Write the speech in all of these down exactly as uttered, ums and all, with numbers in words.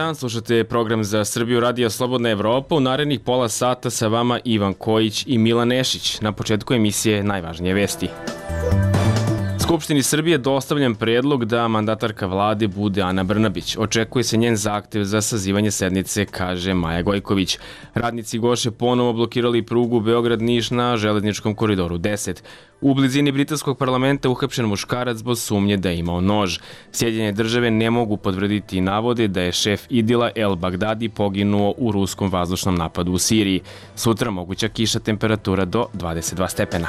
dan, slušate program za Srbiju Radio Slobodna Evropa. U narednih pola sata sa vama Ivan Kojić i Milan Nešić. Na početku emisije najvažnije vesti. Skupštini Srbije dostavljen predlog da mandatarka vlade bude Ana Brnabić. Očekuje se njen zahtev za sazivanje sednice, kaže Maja Gojković. Radnici Goše ponovo blokirali prugu Beograd-Niš na železničkom koridoru deset. U blizini britanskog parlamenta uhapšen muškarac zbog sumnje da je imao nož. Sjedinjene države ne mogu potvrditi navode da je šef Idila El Bagdadi poginuo u ruskom vazdušnom napadu u Siriji. Sutra moguća kiša, temperatura do dvadeset dva stepena.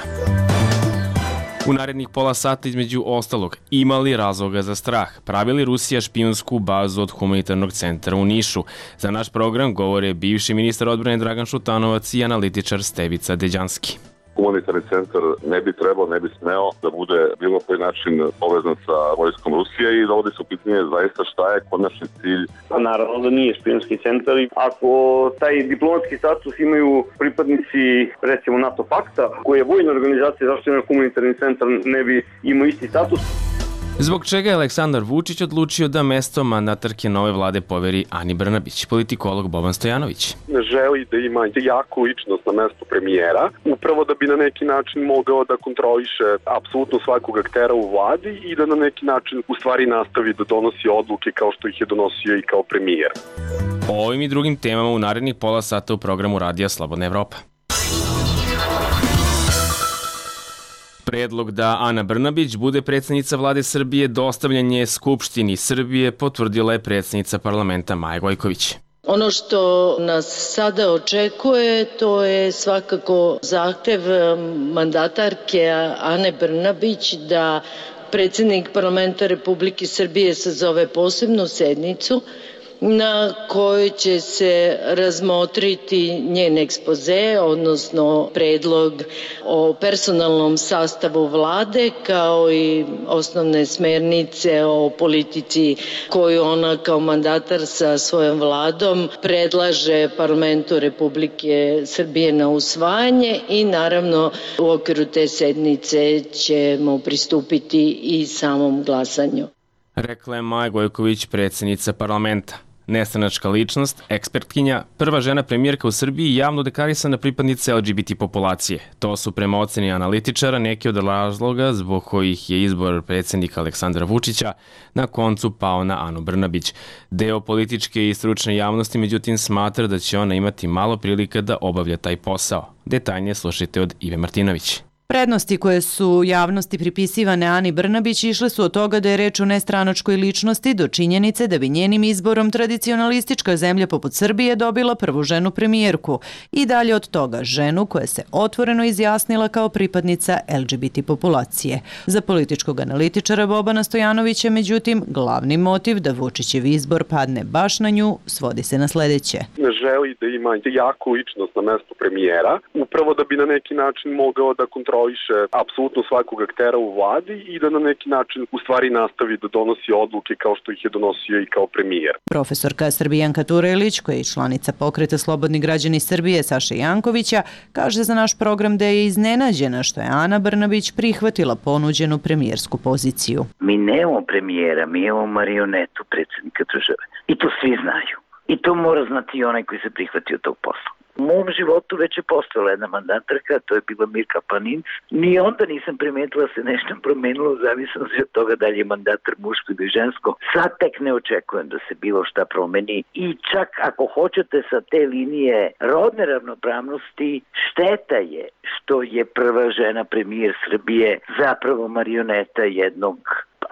U narednih pola sata između ostalog, ima li razloga za strah? Pravi li Rusija špijunsku bazu od humanitarnog centra u Nišu? Za naš program govore bivši ministar odbrane Dragan Šutanovac i analitičar Stevica Deđanski. Humanitarni centar ne bi trebao, ne bi smeo da bude bilo koji način povezan sa vojskom Rusije i dovodi se u pitanje zaista šta je konačni cilj. Pa naravno da nije špijunski centar. Ako taj diplomatski status imaju pripadnici recimo NATO pakta, koji je vojna organizacija, zašto je humanitarni centar ne bi imao isti status? Zbog čega je Aleksandar Vučić odlučio da mesto mandatarke nove vlade poveri Ani Brnabić? Politikolog Boban Stojanović. Želi da ima jaku ličnost na mestu premijera, upravo da bi na neki način mogao da kontroliše apsolutno svakog aktera u vladi i da na neki način u stvari nastavi da donosi odluke kao što ih je donosio i kao premijer. O ovim i drugim temama u narednih pola sata u programu Radija Slobodna Evropa. Predlog da Ana Brnabić bude predsjednica vlade Srbije dostavljen je Skupštini Srbije, potvrdila je predsjednica parlamenta Maja Gojković. Ono što nas sada očekuje, to je svakako zahtev mandatarke Ane Brnabić da predsjednik parlamenta Republike Srbije sazove posebnu sednicu na kojoj će se razmotriti njen ekspoze, odnosno predlog o personalnom sastavu vlade, kao i osnovne smernice o politici koju ona kao mandatar sa svojom vladom predlaže parlamentu Republike Srbije na usvajanje i naravno u okviru te sednice ćemo pristupiti i samom glasanju. Rekla je Maja Gojković, predsjednica parlamenta. Nestranačka ličnost, ekspertkinja, prva žena premijerka u Srbiji i javno deklarisana pripadnica L G B T populacije. To su prema oceni analitičara neki od razloga zbog kojih je izbor predsjednika Aleksandra Vučića na koncu pao na Anu Brnabić. Deo političke i stručne javnosti međutim smatra da će ona imati malo prilika da obavlja taj posao. Detaljnije slušajte od Ive Martinović. Prednosti koje su javnosti pripisivane Ani Brnabić išle su od toga da je reč o nestranačkoj ličnosti do činjenice da bi njenim izborom tradicionalistička zemlja poput Srbije dobila prvu ženu premijerku i dalje od toga ženu koja se otvoreno izjasnila kao pripadnica L G B T populacije. Za političkog analitičara Bobana Stojanovića, međutim, glavni motiv da Vučićev izbor padne baš na nju svodi se na sledeće. Želi da ima jaku ličnost na mestu premijera, upravo da bi na neki način mogao da kontroliše apsolutno svakog aktera u vladi i da na neki način u stvari nastavi da donosi odluke kao što ih je donosio i kao premijer. Profesorka Srbijanka Turelić, koja je članica pokreta Slobodni građani Srbije Saše Jankovića, kaže za naš program da je iznenađena što je Ana Brnabić prihvatila ponuđenu premijersku poziciju. Mi nemamo premijera, mi imamo marionetu predsjednika države. I to svi znaju. I to mora znati i onaj koji se prihvatio tog posla. U mom životu već je postojala jedna mandatarka, to je bila Mirka Panin. Ni onda nisam primetila da se nešto promenilo u zavisnosti od toga da li je mandatar muško ili žensko. Sad tek ne očekujem da se bilo šta promeni i čak ako hoćete sa te linije rodne ravnopravnosti, šteta je što je prva žena premijer Srbije zapravo marioneta jednog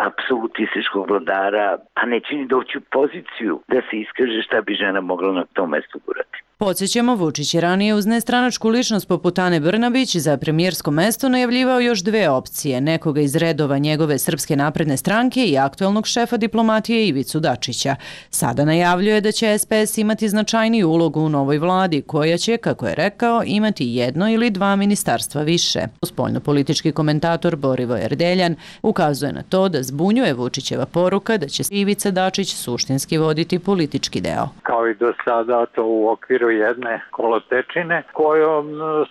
apsolutističkog vladara, a ne čini doći u poziciju da se iskaže šta bi žena mogla na tom mestu gurati. Podsjećamo, Vučić je ranije uz nestranačku ličnost poput Ane Brnabić za premijersko mesto najavljivao još dve opcije, nekoga iz redova njegove Srpske napredne stranke i aktuelnog šefa diplomatije Ivicu Dačića. Sada najavljuje da će S P S imati značajniju ulogu u novoj vladi, koja će, kako je rekao, imati jedno ili dva ministarstva više. Spoljnopolitički komentator Borivoje Erdeljan ukazuje na to da zbunjuje Vučićeva poruka da će Ivica Dačić suštinski voditi politički deo. Kao i do sada, to u okviru između jedne kolotečine kojom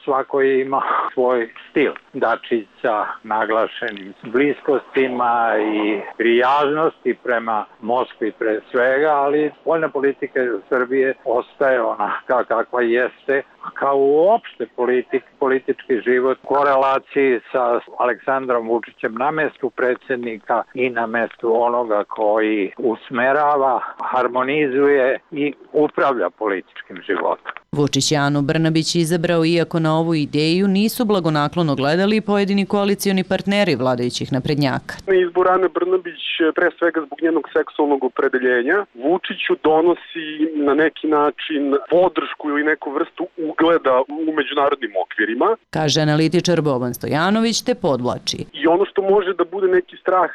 svako ima svoj stil. Dačić sa naglašenim bliskostima i prijaznosti prema Moskvi pre svega, ali spoljna politika Srbije ostaje onaka kakva jeste, kao uopšte politik, politički život u korelaciji sa Aleksandrom Vučićem na mestu predsjednika i na mestu onoga koji usmerava, harmonizuje i upravlja političkim životom. Vučić je Anu Brnabić izabrao iako na ovu ideju nisu blagonaklono gledali pojedini koalicioni partneri vladajućih naprednjaka. Izbor Ane Brnabić pre svega zbog njenog seksualnog opredeljenja Vučiću donosi na neki način podršku ili neku vrstu ugleda u međunarodnim okvirima, kaže analitičar Boban Stojanović, te podvlači. I ono što može da bude neki strah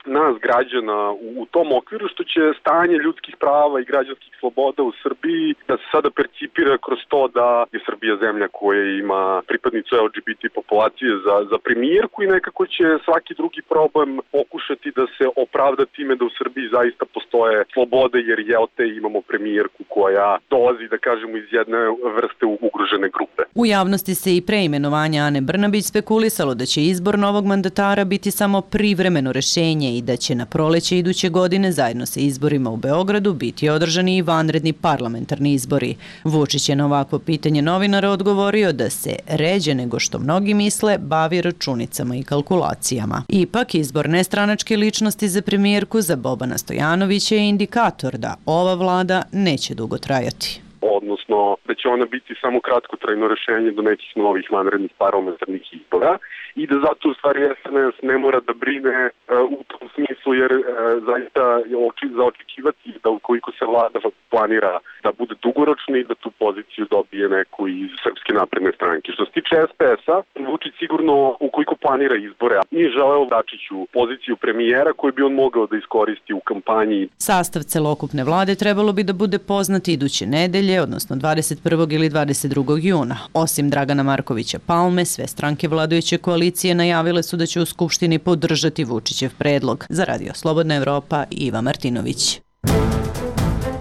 nas građana u tom okviru, što će stanje ljudskih prava i građanskih sloboda u Srbiji da se sada percipira kroz to da je Srbija zemlja koja ima pripadnicu L G B T populacije za, za premijerku i nekako će svaki drugi problem pokušati da se opravda time da u Srbiji zaista postoje slobode, jer je te imamo premijerku koja dolazi, da kažemo, iz jedne vrste ugrožene grupe. U javnosti se i pre imenovanja Ane Brnabić spekulisalo da će izbor novog mandatara biti samo privremeno rešenje i da će na proleće iduće godine zajedno sa izborima u Beogradu biti održani i vanredni parlamentarni izbori. Vučić je na ovakvo pitanje novinara odgovorio da se ređe nego što mnogi misle bavi računicama i kalkulacijama. Ipak, izbor nestranačke ličnosti za premijerku za Bobana Stojanovića je indikator da ova vlada neće dugo trajati. Odnosno da će ona biti samo kratkotrajno rešenje do nekih novih vanrednih parlamentarnih izbora i da zato u stvari S N S ne mora da brine uh, u tom smislu, jer uh, zaista je oči, za očekivati da ukoliko se vlada planira da bude dugoročna i da tu poziciju dobije neku iz Srpske napredne stranke. Što se tiče S P S-a, Vučić sigurno ukoliko planira izbore, nije želeo Dačiću poziciju premijera koju bi on mogao da iskoristi u kampanji. Sastav celokupne vlade trebalo bi da bude poznat iduće nedelje, odnosno dvadeset prvog ili dvadeset drugog juna. Osim Dragana Markovića Palme, sve stranke vladajuće koalicije najavile su da će u Skupštini podržati Vučićev predlog. Za Radio Slobodna Evropa, Iva Martinović.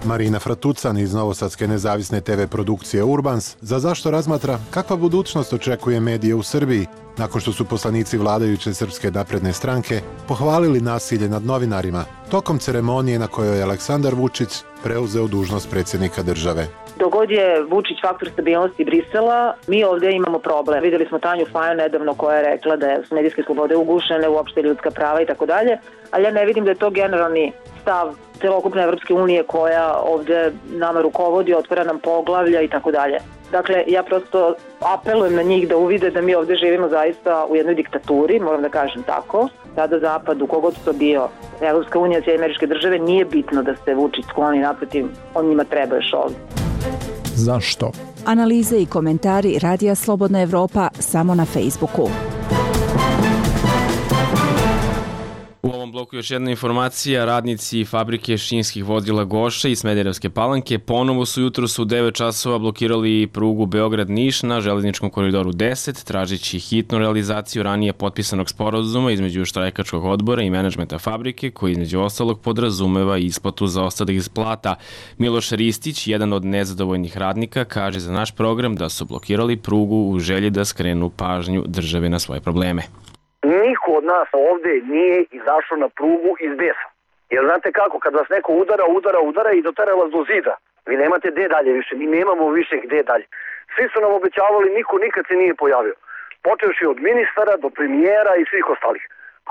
Marina Fratucan iz novosadske nezavisne te ve produkcije Urbans za zašto razmatra kakva budućnost očekuje medije u Srbiji nakon što su poslanici vladajuće Srpske napredne stranke pohvalili nasilje nad novinarima tokom ceremonije na kojoj je Aleksandar Vučić preuzeo dužnost predsjednika države. Dogod je Vučić faktor stabilnosti Brisela, mi ovdje imamo problem. Videli smo Tanju Fajon nedavno koja je rekla da su medijske slobode ugušene, uopšte ljudska prava i tako dalje, ali ja ne vidim da je to generalni stav celokupne Evropske unije koja ovdje nama rukovodi, otvara nam poglavlja i tako dalje. Dakle, ja prosto apelujem na njih da uvide da mi ovdje živimo zaista u jednoj diktaturi, moram da kažem tako. Sada Zapad, u kogod to bio, Evropska unija, Sjedinjene Američke Države, nije bitno da se Vučić skloni, naprotiv, on njima treba još ovdje. Zašto? Analize i komentari Radija Slobodna Evropa samo na Facebooku. U ovom bloku još jedna informacija. Radnici fabrike šinskih vozila Goša i Smederevske Palanke ponovo su jutros u devet časova blokirali prugu Beograd-Niš na železničkom koridoru deset, tražeći hitnu realizaciju ranije potpisanog sporazuma između štrajkačkog odbora i menadžmenta fabrike, koji između ostalog podrazumeva isplatu zaostalih plata. Miloš Ristić, jedan od nezadovoljnih radnika, kaže za naš program da su blokirali prugu u želji da skrenu pažnju države na svoje probleme. Niko od nas ovde nije izašao na prugu iz besa. Jer znate kako, kad vas neko udara, udara, udara i dotera vas do zida. Vi nemate gde dalje više, mi nemamo više gde dalje. Svi su nam obećavali, niko nikad se nije pojavio. Počevši od ministara do premijera i svih ostalih.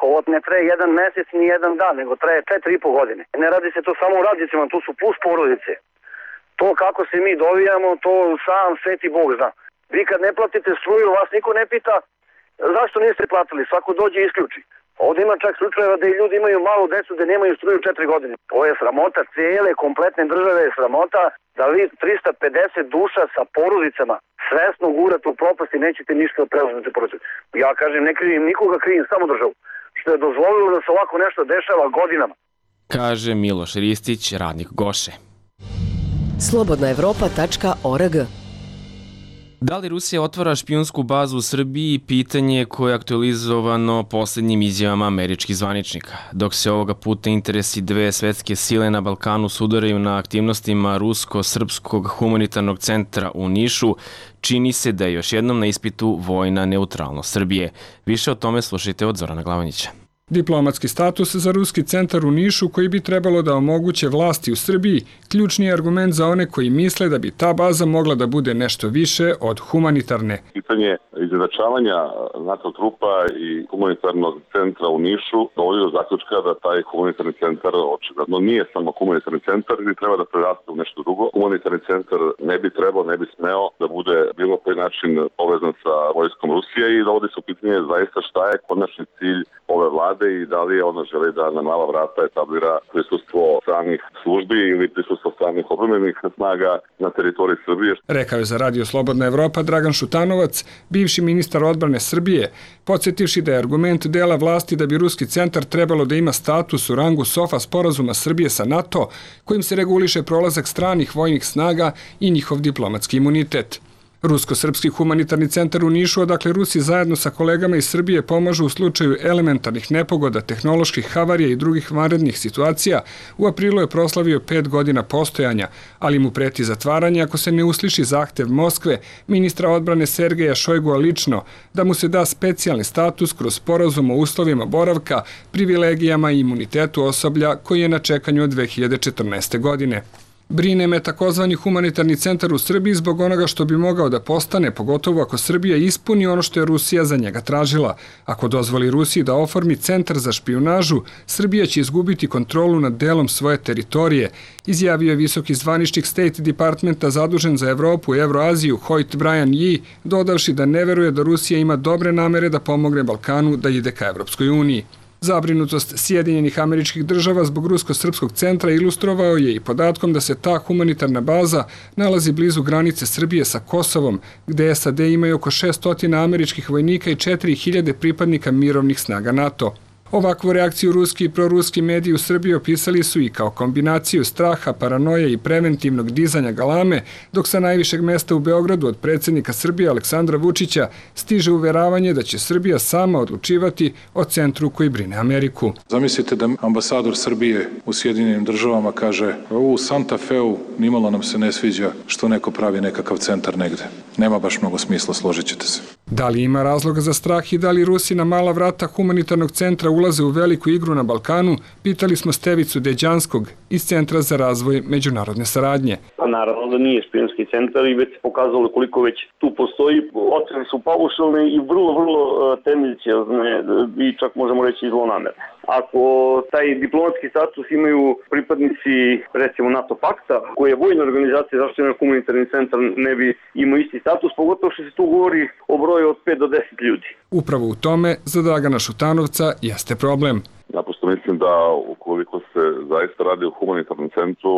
Ovo ne traje jedan mesec ni jedan dan, nego traje četiri i po godine. Ne radi se to samo u radnicima, tu su plus porodice. To kako se mi dovijamo, to sam sveti Bog zna. Vi kad ne platite struju, vas niko ne pita zašto niste platili, svako dođe i isključi. Ovdje ima čak slučajeva da i ljudi imaju malu decu da nemaju struju četiri godine. Ovo je sramota, cijele kompletne države je sramota da vi trista pedeset duša sa porodicama svesno gurate u propast i nećete ništa da preuzmete porodice. Ja kažem, ne krivim nikoga, krivim samo državu, što je dozvolilo da se ovako nešto dešava godinama. Kaže Miloš Ristić, radnik Goše. slobodna evropa tačka org Da li Rusija otvara špijunsku bazu u Srbiji? Pitanje koje je aktualizovano posljednjim izjavama američkih zvaničnika. Dok se ovoga puta interesi dve svetske sile na Balkanu sudaraju na aktivnostima Rusko-Srpskog humanitarnog centra u Nišu, čini se da je još jednom na ispitu vojna neutralnost Srbije. Više o tome slušajte od Zorana Glavonjića. Diplomatski status za Ruski centar u Nišu koji bi trebalo da omoguće vlasti u Srbiji, ključni je argument za one koji misle da bi ta baza mogla da bude nešto više od humanitarne. Pitanje izjednačavanja NATO trupa i humanitarnog centra u Nišu dovodi do zaključka da taj humanitarni centar očigledno nije samo humanitarni centar ili treba da preraste u nešto drugo. Humanitarni centar ne bi trebao, ne bi smeo da bude bilo koji način povezan sa vojskom Rusije i dovodi se u pitanje zaista šta je konačni cilj ove vlade i da li je ona želi da na mala vrata etablira prisustvo stranih službi ili prisustvo stranih odbrambenih snaga na teritoriji Srbije. Rekao je za Radio Slobodna Evropa Dragan Šutanovac, bivši ministar odbrane Srbije, podsjetivši da je argument dela vlasti da bi Ruski centar trebalo da ima status u rangu SOFA sporazuma Srbije sa NATO, kojim se reguliše prolazak stranih vojnih snaga i njihov diplomatski imunitet. Rusko-srpski humanitarni centar u Nišu, odakle Rusi zajedno sa kolegama iz Srbije pomažu u slučaju elementarnih nepogoda, tehnoloških havarija i drugih vanrednih situacija, u aprilu je proslavio pet godina postojanja, ali mu preti zatvaranje ako se ne usliši zahtev Moskve, ministra odbrane Sergeja Šojgua lično, da mu se da specijalni status kroz sporazum o uslovima boravka, privilegijama i imunitetu osoblja koji je na čekanju od dve hiljade četrnaeste. godine. Brine me takozvani humanitarni centar u Srbiji zbog onoga što bi mogao da postane, pogotovo ako Srbija ispuni ono što je Rusija za njega tražila. Ako dozvoli Rusiji da oformi centar za špijunažu, Srbija će izgubiti kontrolu nad delom svoje teritorije, izjavio je visoki zvaničnik State Departmenta zadužen za Evropu i Evroaziju Hoyt Brian Yee, dodavši da ne veruje da Rusija ima dobre namere da pomogne Balkanu da ide ka Evropskoj uniji. Zabrinutost Sjedinjenih Američkih Država zbog Rusko-srpskog centra ilustrovao je i podatkom da se ta humanitarna baza nalazi blizu granice Srbije sa Kosovom, gde S A D imaju oko šesnaest američkih vojnika i četiri hiljade pripadnika mirovnih snaga NATO. Ovakvu reakciju ruski i proruski mediji u Srbiji opisali su i kao kombinaciju straha, paranoje i preventivnog dizanja galame, dok sa najvišeg mesta u Beogradu od predsjednika Srbije Aleksandra Vučića stiže uveravanje da će Srbija sama odlučivati o centru koji brine Ameriku. Zamislite da ambasador Srbije u Sjedinjenim Državama kaže u Santa Feu nimalo nam se ne sviđa što neko pravi nekakav centar negde. Nema baš mnogo smisla, složit ćete se. Da li ima razloga za strah i da li Rusi na mala vrata humanitarnog centra ulaze u veliku igru na Balkanu, pitali smo Stevicu Deđanskog iz Centra za razvoj međunarodne saradnje. Pa naravno da nije špijunski centar i već se pokazalo koliko već tu postoji. Ocene su paušalne i vrlo, vrlo temeljciozne i čak možemo reći i zlonamerne. Ako taj diplomatski status imaju pripadnici, recimo, NATO pakta, koji je vojna organizacija, zašto je humanitarni centar ne bi imao isti status, pogotovo što se tu govori o broju od pet do deset ljudi. Upravo u tome za Dragana Šutanovca jeste problem. Naprosto mislim da ukoliko se zaista radi o humanitarnom centru,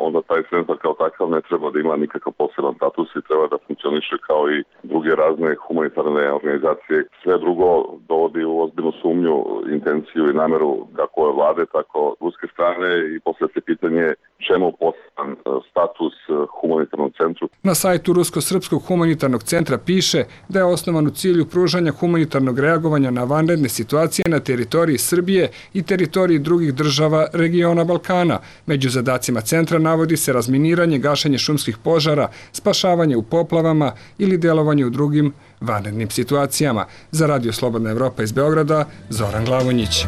onda taj centar kao takav ne treba da ima nikakav poseban status i treba da funkcioniše kao i druge razne humanitarne organizacije. Sve drugo dovodi u ozbiljnu sumnju, intenciju i nameru kako ove vlade, tako ruske strane i posle se pitanje čemu poseban status humanitarnom centru. Na sajtu Rusko-srpskog humanitarnog centra piše da je osnovan u cilju pružanja humanitarnog reagovanja na vanredne situacije na teritoriji Srbije i teritoriji drugih država regiona Balkana. Među zadacima centra navodi se razminiranje, gašenje šumskih požara, spašavanje u poplavama ili delovanje u drugim vanrednim situacijama. Za Radio Slobodna Evropa iz Beograda, Zoran Glavonjić.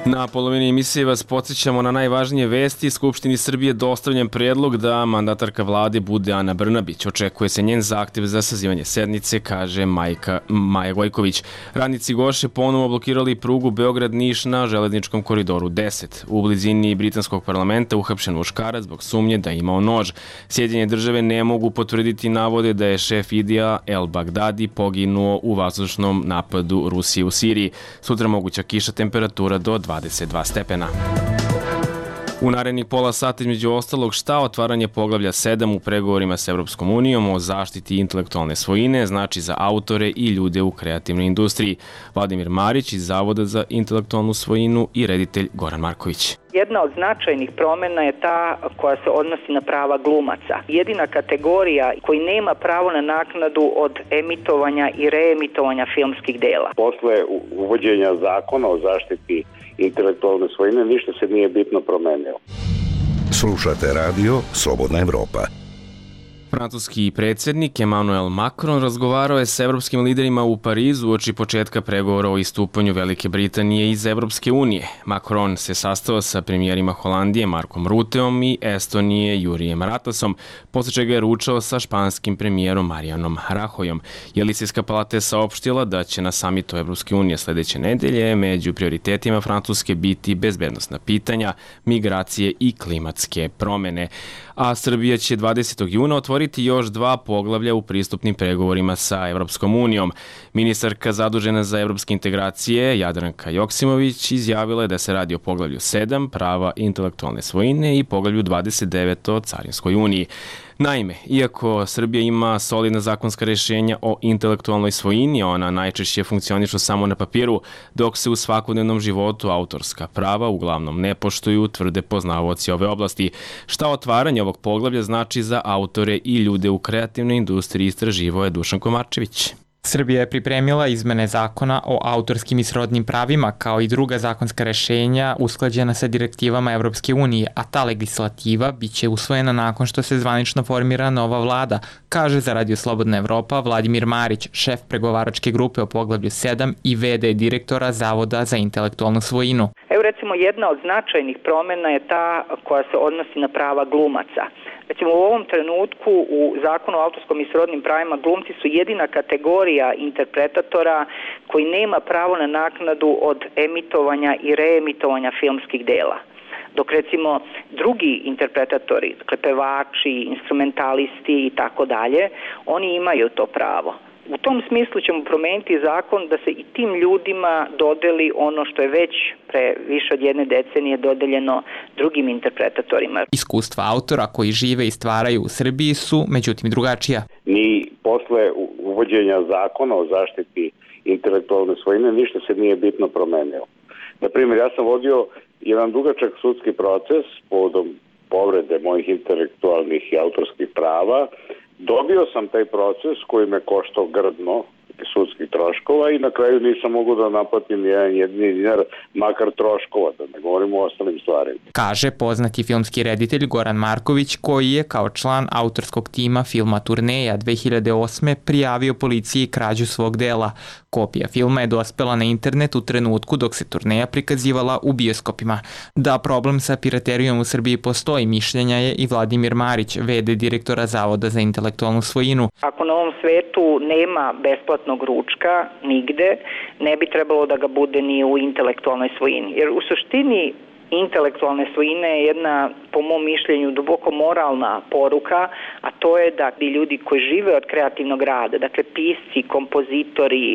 Na polovini emisije vas podsjećamo na najvažnije vesti. Skupštini Srbije dostavljen predlog da mandatarka vlade bude Ana Brnabić. Očekuje se njen zahtev za sazivanje sednice, kaže Majka, Maja Gojković. Radnici Goše ponovo blokirali prugu Beograd-Niš na železničkom koridoru deset. U blizini britanskog parlamenta uhapšen muškarac zbog sumnje da je imao nož. Sjedinjene države ne mogu potvrditi navode da je šef Idija El Bagdadi poginuo u vazdušnom napadu Rusije u Siriji. Sutra moguća kiša, temperatura do dvadeset dva stepena. U narednih pola sata između ostalog šta otvaranje poglavlja sedam u pregovorima s Evropskom unijom o zaštiti intelektualne svojine znači za autore i ljude u kreativnoj industriji. Vladimir Marić iz Zavoda za intelektualnu svojinu i reditelj Goran Marković. Jedna od značajnih promjena je ta koja se odnosi na prava glumaca. Jedina kategorija koji nema pravo na naknadu od emitovanja i reemitovanja filmskih dela. Posle uvođenja zakona o zaštiti intelektualne svojine ništa se nije bitno promenilo. Slušate radio Slobodna Evropa. Francuski predsjednik Emmanuel Macron razgovarao je s evropskim liderima u Parizu uoči početka pregovora o istupanju Velike Britanije iz Evropske unije. Macron se sastao sa premijerima Holandije Markom Ruteom i Estonije Jurijem Ratasom, posle čega je ručao sa španskim premijerom Marijanom Rahojom. Jelisijska palata je saopštila da će na samitu Evropske unije sledeće nedelje među prioritetima Francuske biti bezbednosna pitanja, migracije i klimatske promene. A Srbija će dvadesetog juna otvoriti još dva poglavlja u pristupnim pregovorima sa Evropskom unijom. Ministarka zadužena za evropske integracije Jadranka Joksimović izjavila je da se radi o poglavlju sedam, prava intelektualne svojine, i poglavlju dvadeset devet o Carinskoj uniji. Naime, iako Srbija ima solidna zakonska rješenja o intelektualnoj svojini, ona najčešće funkcionišu samo na papiru, dok se u svakodnevnom životu autorska prava uglavnom ne poštuju, tvrde poznavaoci ove oblasti. Šta otvaranje ovog poglavlja znači za autore i ljude u kreativnoj industriji, istraživao je Dušan Komarčević. Srbija je pripremila izmene zakona o autorskim i srodnim pravima kao i druga zakonska rešenja usklađena sa direktivama Evropske unije, a ta legislativa biće usvojena nakon što se zvanično formira nova vlada, kaže za Radio Slobodna Evropa Vladimir Marić, šef pregovaračke grupe o poglavlju sedam i ve de direktora Zavoda za intelektualnu svojinu. Evo recimo jedna od značajnih promjena je ta koja se odnosi na prava glumaca. Recimo u ovom trenutku u zakonu o autorskom i srodnim pravima glumci su jedina kategorija interpretatora koji nema pravo na naknadu od emitovanja i reemitovanja filmskih dela. Dok recimo drugi interpretatori, dakle pevači, instrumentalisti i tako dalje, oni imaju to pravo. U tom smislu ćemo promeniti zakon da se i tim ljudima dodeli ono što je već pre više od jedne decenije dodeljeno drugim interpretatorima. Iskustva autora koji žive i stvaraju u Srbiji su međutim drugačija. Ni posle uvođenja zakona o zaštiti intelektualne svojine ništa se nije bitno promenilo. Na primjer, ja sam vodio jedan dugačak sudski proces povodom povrede mojih intelektualnih i autorskih prava. Dobio sam taj proces koji me koštao grdno sudskih troškova i na kraju nisam mogao da naplatim jedan jedini dinar, makar troškova, da ne govorimo o ostalim stvarima. Kaže poznati filmski reditelj Goran Marković, koji je kao član autorskog tima filma Turneja dve hiljade osme prijavio policiji krađu svog dela. Kopija filma je dospela na internet u trenutku dok se Turneja prikazivala u bioskopima. Da problem sa piraterijom u Srbiji postoji, mišljenja je i Vladimir Marić, ve de direktora Zavoda za intelektualnu svojinu. Ako na ovom svetu nema besplatnog ručka nigde, ne bi trebalo da ga bude ni u intelektualnoj svojini. Jer u suštini intelektualne svojine je jedna, po mom mišljenju, duboko moralna poruka, a to je da ti ljudi koji žive od kreativnog rada, dakle pisci, kompozitori,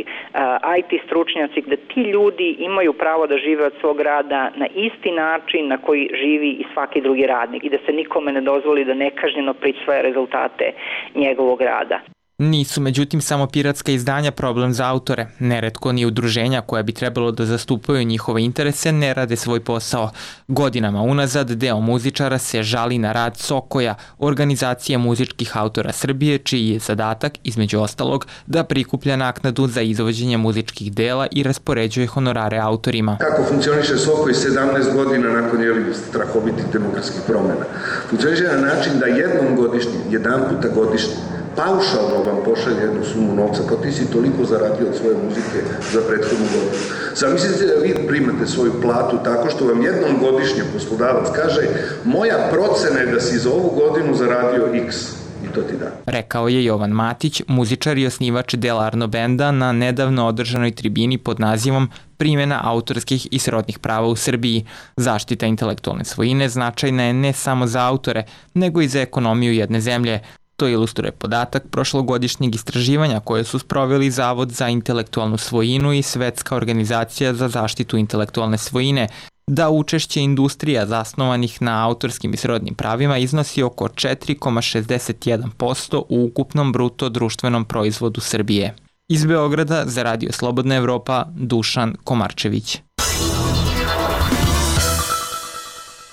i te stručnjaci, da ti ljudi imaju pravo da žive od svog rada na isti način na koji živi i svaki drugi radnik i da se nikome ne dozvoli da nekažnjeno prisvaja rezultate njegovog rada. Nisu međutim samo piratska izdanja problem za autore. Neretko ni udruženja koja bi trebalo da zastupaju njihove interese ne rade svoj posao. Godinama unazad deo muzičara se žali na rad Sokoja, organizacije muzičkih autora Srbije, čiji je zadatak, između ostalog, da prikuplja naknadu za izvođenje muzičkih dela i raspoređuje honorare autorima. Kako funkcioniše Sokoj sedamnaest godina nakon jeli strahovitih demokratskih promjena? Funkcioniše na način da jednom godišnje, jedan puta godišnje, paušalno vam pošalje jednu sumu novca, kao ti si toliko zaradio od svoje muzike za prethodnu godinu. Zamislite da vi primate svoju platu tako što vam jednom godišnje poslodavac kaže moja procena je da si za ovu godinu zaradio X. I to ti da. Rekao je Jovan Matić, muzičar i osnivač Delarno benda na nedavno održanoj tribini pod nazivom Primjena autorskih i srodnih prava u Srbiji. Zaštita intelektualne svojine značajna je ne samo za autore, nego i za ekonomiju jedne zemlje. To ilustruje podatak prošlogodišnjeg istraživanja koje su sproveli Zavod za intelektualnu svojinu i Svetska organizacija za zaštitu intelektualne svojine. da učešće industrija zasnovanih na autorskim i srodnim pravima iznosi oko četiri zarez šezdeset jedan posto u ukupnom bruto društvenom proizvodu Srbije. Iz Beograda za Radio Slobodna Evropa, Dušan Komarčević.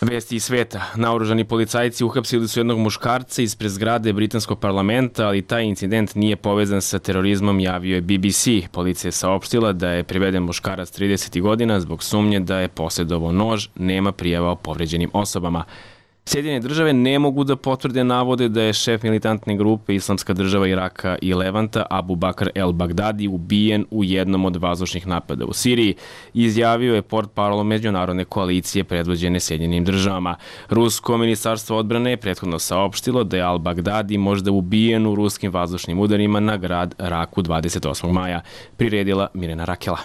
Vesti iz sveta. Naoružani policajci uhapsili su jednog muškarca ispred zgrade britanskog parlamenta, ali taj incident nije povezan sa terorizmom, javio je B B C. Policija je saopštila da je priveden muškarac trideset godina zbog sumnje da je posjedovao nož, nema prijava o povređenim osobama. Sjedinjene države ne mogu da potvrde navode da je šef militantne grupe Islamska država Iraka i Levanta Abu Bakr el-Baghdadi ubijen u jednom od vazdušnih napada u Siriji, izjavio je portparol međunarodne koalicije predvođene Sjedinjenim državama. Rusko ministarstvo odbrane je prethodno saopštilo da je al-Baghdadi možda ubijen u ruskim vazdušnim udarima na grad Raku dvadeset osmog maja, priredila Mirena Rakela.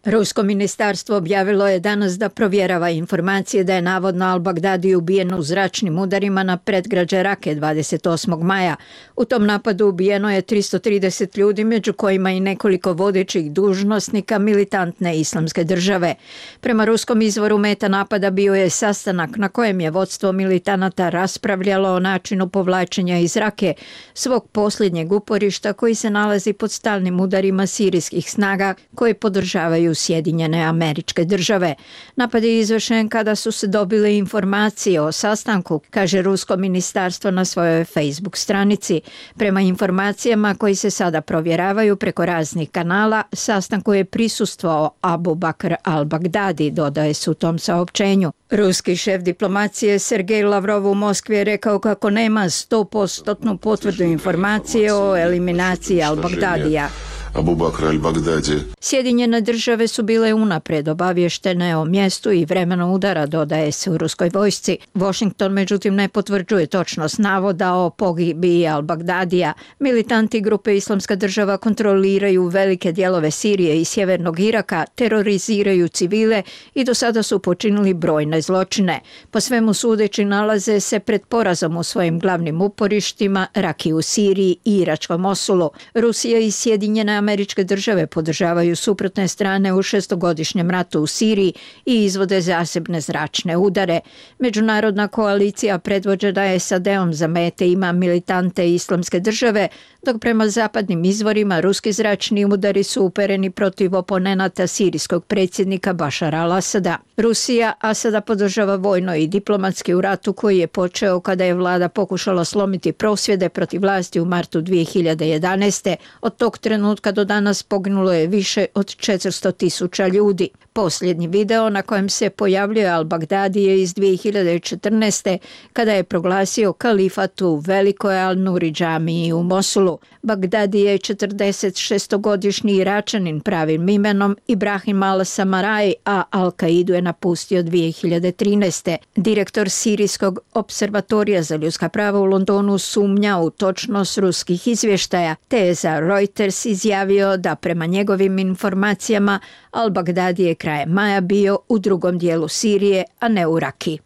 Rusko ministarstvo objavilo je danas da provjerava informacije da je navodno al-Baghdadi ubijen u zračnim udarima na predgrađe Rake dvadeset osmog maja. U tom napadu ubijeno je tristo trideset ljudi, među kojima i nekoliko vodećih dužnosnika militantne islamske države. Prema ruskom izvoru meta napada bio je sastanak na kojem je vodstvo militanata raspravljalo o načinu povlačenja iz Rake, svog posljednjeg uporišta koji se nalazi pod stalnim udarima sirijskih snaga koje podržavaju Sjedinjene Američke Države. Napad je izvršen kada su se dobile informacije o sastanku, kaže rusko ministarstvo na svojoj Facebook stranici. Prema informacijama koji se sada provjeravaju preko raznih kanala, sastanku je prisustvovao Abu Bakr al-Baghdadi, dodaje se u tom saopćenju. Ruski šef diplomacije Sergej Lavrov u Moskvi je rekao kako nema sto posto potvrdu informacije o eliminaciji al-Baghdadija. Abu Bakr al-Baghdadi. Sjedinjene države su bile unapred obavještene o mjestu i vremenu udara, dodaje se u ruskoj vojsci. Washington međutim ne potvrđuje točnost navoda o pogibiji al-Baghdadija. Militanti grupe Islamska država kontroliraju velike dijelove Sirije i sjevernog Iraka, teroriziraju civile i do sada su počinili brojne zločine. Po svemu sudeći nalaze se pred porazom u svojim glavnim uporištima, Raki u Siriji i iračkom Mosulu. Rusija i Sjedinjene Američke države podržavaju suprotne strane u šestogodišnjem ratu u Siriji i izvode zasebne zračne udare. Međunarodna koalicija predvođena S A D-om za mete ima militante Islamske države, dok prema zapadnim izvorima ruski zračni udari su upereni protiv oponenata sirijskog predsjednika Bašara al-Asada. Rusija Asada podržava vojno i diplomatski u ratu koji je počeo kada je vlada pokušala slomiti prosvjede protiv vlasti u martu dvije hiljade jedanaeste. Od tog trenutka do danas poginulo je više od četiristo tisuća ljudi. Posljednji video na kojem se pojavljuje al-Baghdadi je iz dvije hiljade četrnaeste. kada je proglasio kalifat u velikoj Al-Nuri džamiji u Mosulu. Baghdadi je četrdeset šestogodišnji Iračanin pravim imenom Ibrahim al-Samaraj, a Al-Kaidu je napustio dvije hiljade trinaeste. Direktor Sirijskog observatorija za ljudska prava u Londonu sumnja u točnost ruskih izvještaja, te je za Reuters izjavio da prema njegovim informacijama al-Baghdadi je krajem maja bio u drugom dijelu Sirije, a ne u Raki.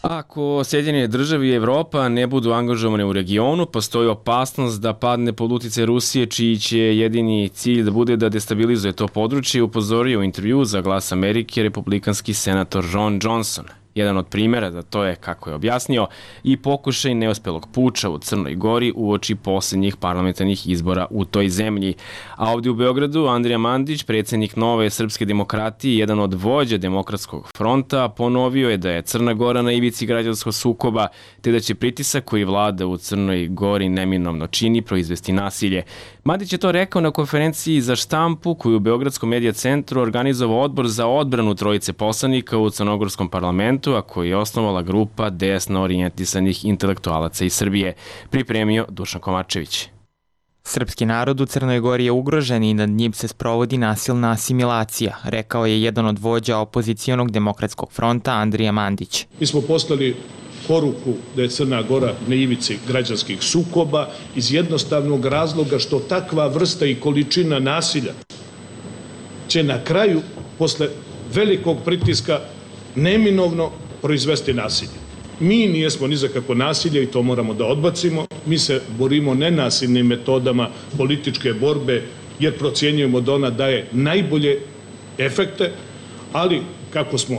Ako Sjedinjene države i Evropa ne budu angažovane u regionu, postoji opasnost da padne pod uticaj Rusije, čiji će jedini cilj da bude da destabilizuje to područje, upozorio u intervju za Glas Amerike republikanski senator Ron Johnson. Jedan od primjera za to je, kako je objasnio, i pokušaj neuspelog puča u Crnoj Gori uoči posljednjih parlamentarnih izbora u toj zemlji. A ovdje u Beogradu Andrija Mandić, predsjednik Nove srpske demokratije, jedan od vođa Demokratskog fronta, ponovio je da je Crna Gora na ivici građanskog sukoba, te da će pritisak koji vlada u Crnoj Gori neminovno čini proizvesti nasilje. Mandić je to rekao na konferenciji za štampu koju u Beogradskom medija centru organizovao Odbor za odbranu trojice poslanika u Crnogorskom parlamentu, a koji je osnovala grupa desno orijentisanih intelektualaca iz Srbije, pripremio Dušan Komarčević. Srpski narod u Crnoj Gori je ugrožen i nad njim se sprovodi nasilna asimilacija, rekao je jedan od vođa opozicijonog Demokratskog fronta Andrija Mandić. Mi smo poslali poruku da je Crna Gora na ivici građanskih sukoba iz jednostavnog razloga što takva vrsta i količina nasilja će na kraju, posle velikog pritiska, neminovno proizvesti nasilje. Mi nijesmo ni za kako nasilje i to moramo da odbacimo. Mi se borimo nenasilnim metodama političke borbe jer procjenjujemo da ona daje najbolje efekte, ali kako smo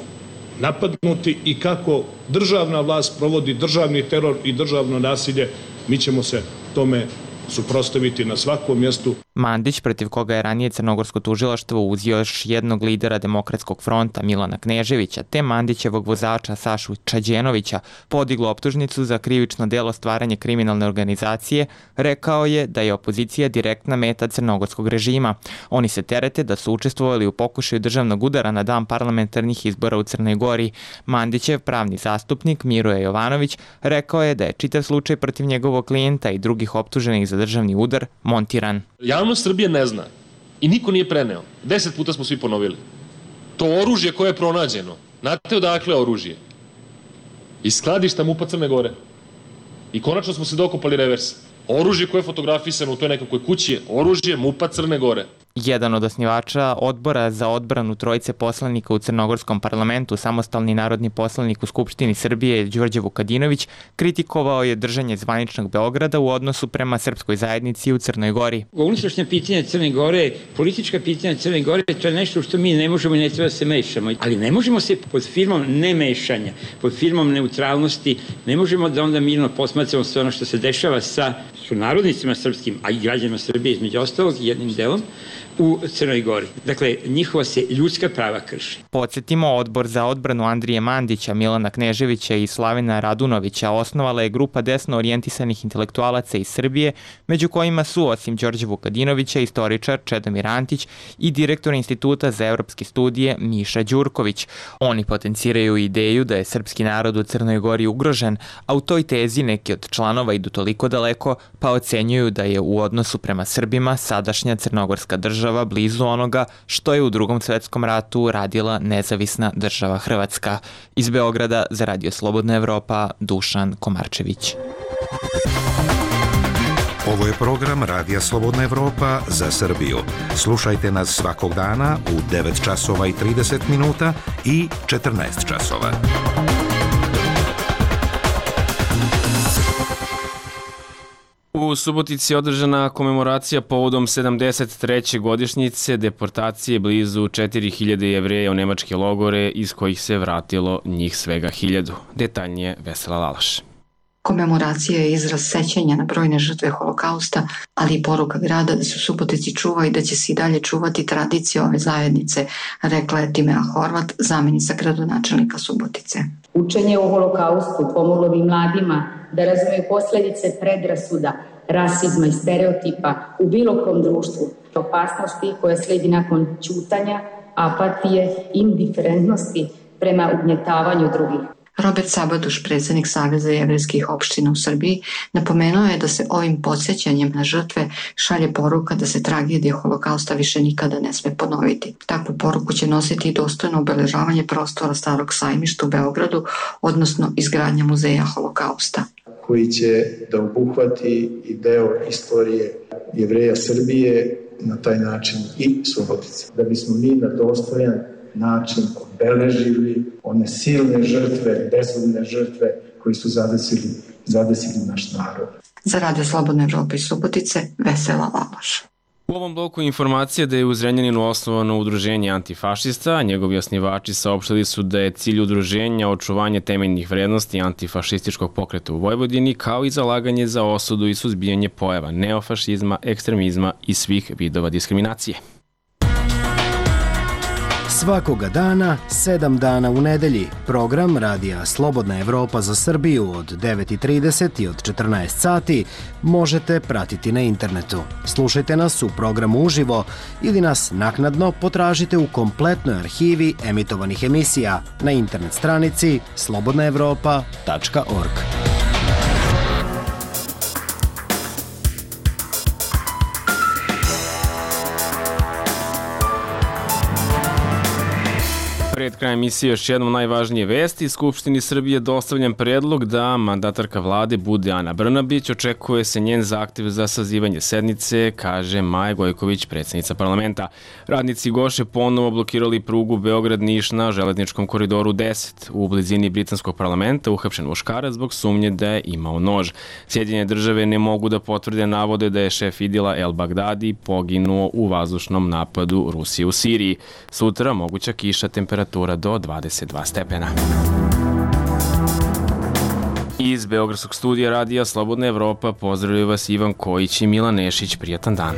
napadnuti i kako državna vlast provodi državni teror i državno nasilje, mi ćemo se tome suprotstaviti na svakom mjestu. Mandić, protiv koga je ranije crnogorsko tužilaštvo uzio još jednog lidera Demokratskog fronta Milana Kneževića, te Mandićevog vozača Sašu Čađenovića, podiglo optužnicu za krivično delo stvaranje kriminalne organizacije, rekao je da je opozicija direktna meta crnogorskog režima. Oni se terete da su učestvovali u pokušaju državnog udara na dan parlamentarnih izbora u Crnoj Gori. Mandićev pravni zastupnik Miroje Jovanović rekao je da je čitav slučaj protiv njegovog klijenta i drugih optuženih za državni udar montiran. Javnost Srbije ne zna i niko nije preneo. Deset puta smo svi ponovili. To oružje koje je pronađeno, znate odakle je oružje? Iz skladišta MUP-a Crne Gore. I konačno smo se dokopali reversa. Oružje koje je fotografisano u toj nekakvoj kući je oružje MUP-a Crne Gore. Jedan od osnivača odbora za odbranu trojice poslanika u crnogorskom parlamentu, samostalni narodni poslanik u Skupštini Srbije Đorđe Vukadinović, kritikovao je držanje zvaničnog Beograda u odnosu prema srpskoj zajednici u Crnoj Gori. Unutrašnja pitanja Crne Gore, politička pitanja Crne Gore, to je nešto što mi ne možemo i ne treba se mešamo. Ali ne možemo se pod firmom nemešanja, pod firmom neutralnosti, ne možemo da onda mirno posmatramo sve ono što se dešava sa sunarodnicima srpskim, a i građanima Srbije između ostalog, jednim delom, u Crnoj Gori. Dakle, njihova se ljudska prava krši. Podsjetimo, odbor za odbranu Andrije Mandića, Milana Kneževića i Slavina Radunovića osnovala je grupa desno orijentisanih intelektualaca iz Srbije, među kojima su, osim Đorđe Vukadinovića, istoričar Čedomir Antić i direktor Instituta za evropske studije Miša Đurković. Oni potenciraju ideju da je srpski narod u Crnoj Gori ugrožen, a u toj tezi neki od članova idu toliko daleko, pa ocenjuju da je u odnosu prema Srbima sadašnja crnogorska država blizu onoga što je u Drugom svetskom ratu radila nezavisna država Hrvatska. Iz Beograda za Radio Slobodna Evropa, Dušan Komarčević. Ovo je program Radija Slobodna Evropa za Srbiju. Slušajte nas svakog dana u devet časova i trideset minuta i četrnaest časova. U Subotici je održana komemoracija povodom sedamdeset treće godišnjice deportacije blizu četiri hiljade Jevreja u nemačke logore, iz kojih se vratilo njih svega hiljadu. Detaljnije Vesela Lalaš. Komemoracija je izraz sećanja na brojne žrtve holokausta, ali i poruka grada da se u Subotici čuva i da će se i dalje čuvati tradicija ove zajednice, rekla je Timea Horvat, zamjenica gradonačelnika Subotice. Učenje o holokaustu pomoglo bi mladima da razumeju posljedice predrasuda, rasizma i stereotipa u bilo kom društvu, opasnosti koja slijedi nakon ćutanja, apatije, indiferentnosti prema ugnjetavanju drugih. Robert Sabaduš, predsjednik Saveza jevrejskih opština u Srbiji, napomenuo je da se ovim podsjećanjem na žrtve šalje poruka da se tragedija holokausta više nikada ne sme ponoviti. Takvu poruku će nositi i dostojno obeležavanje prostora Starog sajmišta u Beogradu, odnosno izgradnja muzeja holokausta, koji će da obuhvati i deo istorije Jevreja Srbije, na taj način i Subotice. Da bismo mi na dostojan način obeležili one silne žrtve, bezumne žrtve koji su zadesili, zadesili naš narod. Za Radio Slobodne Evrope i Subotice, Vesela Lalaš. U ovom bloku informacija da je u Zrenjaninu osnovano udruženje antifašista, a njegovi osnivači saopštili su da je cilj udruženja očuvanje temeljnih vrednosti antifašističkog pokreta u Vojvodini, kao i zalaganje za osudu i suzbijanje pojava neofašizma, ekstremizma i svih vidova diskriminacije. Svakoga dana, sedam dana u nedelji, program Radija Slobodna Evropa za Srbiju od devet i trideset i od četrnaest sati možete pratiti na internetu. Slušajte nas u programu uživo ili nas naknadno potražite u kompletnoj arhivi emitovanih emisija na internet stranici slobodna evropa tačka org. Pred krajem emisije još jednom najvažnije vesti. Skupštini Srbije dostavljen predlog da mandatarka vlade bude Ana Brnabić. Očekuje se njen zahtev za sazivanje sednice, kaže Maja Gojković, predsjednica parlamenta. Radnici Goše ponovo blokirali prugu Beograd-Niš na železničkom koridoru deset. U blizini britanskog parlamenta uhapšen muškarac zbog sumnje da je imao nož. Sjedinjene države ne mogu da potvrde navode da je šef Idila El Bagdadi poginuo u vazdušnom napadu Rusije u Siriji. Sutra moguća kiša, temperatura do dvadeset dva stepena. Iz Beogradskog studija radija Slobodna Evropa pozdravljaju vas Ivan Kojić i Milan Nešić. Prijatan dan.